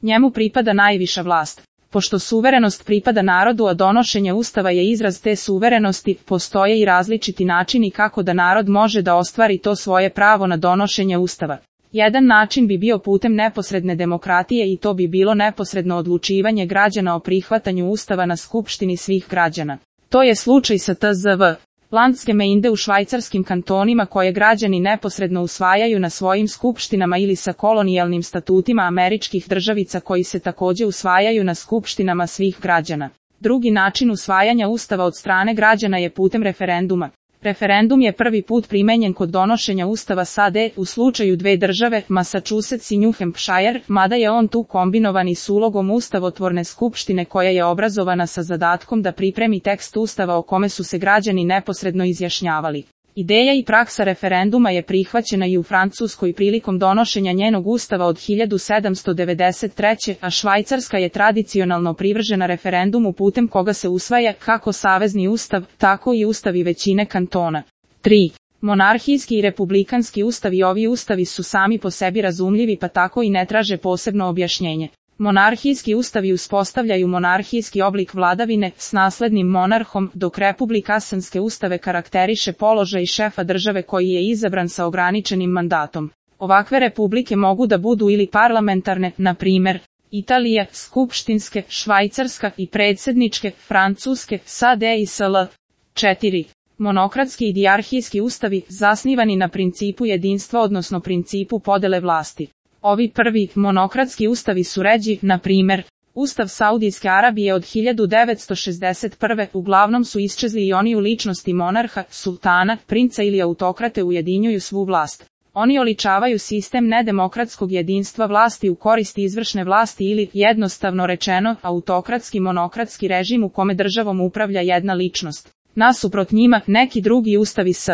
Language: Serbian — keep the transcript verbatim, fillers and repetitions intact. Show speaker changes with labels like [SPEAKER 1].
[SPEAKER 1] Njemu pripada najviša vlast. Pošto suverenost pripada narodu, a donošenje ustava je izraz te suverenosti, postoje i različiti načini kako da narod može da ostvari to svoje pravo na donošenje ustava. Jedan način bi bio putem neposredne demokratije i to bi bilo neposredno odlučivanje građana o prihvatanju ustava na skupštini svih građana. To je slučaj sa T Z V. Landsgemeinde u švajcarskim kantonima koje građani neposredno usvajaju na svojim skupštinama ili sa kolonijalnim statutima američkih državica koji se takođe usvajaju na skupštinama svih građana. Drugi način usvajanja ustava od strane građana je putem referenduma. Referendum je prvi put primenjen kod donošenja ustava S A D u slučaju dve države, Massachusetts i New Hampshire, mada je on tu kombinovan i s ulogom ustavotvorne skupštine koja je obrazovana sa zadatkom da pripremi tekst ustava o kome su se građani neposredno izjašnjavali. Ideja i praksa referenduma je prihvaćena i u Francuskoj prilikom donošenja njenog ustava od hiljadu sedamsto devedeset treće. a Švajcarska je tradicionalno privržena referendumu putem koga se usvaja kako savezni ustav, tako i ustavi većine kantona. tri. Monarhijski i republikanski ustavi. Ovi ustavi su sami po sebi razumljivi pa tako i ne traže posebno objašnjenje. Monarhijski ustavi uspostavljaju monarhijski oblik vladavine s naslednim monarhom, dok republikanske ustave karakteriše položaj šefa države koji je izabran sa ograničenim mandatom. Ovakve republike mogu da budu ili parlamentarne, na primer, Italija, skupštinske, Švajcarska i predsjedničke, Francuske, S A D i S L. četiri. Monokratski i dijarhijski ustavi, zasnivani na principu jedinstva odnosno principu podele vlasti. Ovi prvi, monokratski ustavi su ređi, na primer, Ustav Saudijske Arabije od hiljadu devetsto šezdeset prve. Uglavnom su iščezli i oni u ličnosti monarha, sultana, princa ili autokrate ujedinjuju svu vlast. Oni oličavaju sistem nedemokratskog jedinstva vlasti u korist izvršne vlasti ili, jednostavno rečeno, autokratski monokratski režim u kome državom upravlja jedna ličnost. Nasuprot njima, neki drugi ustavi S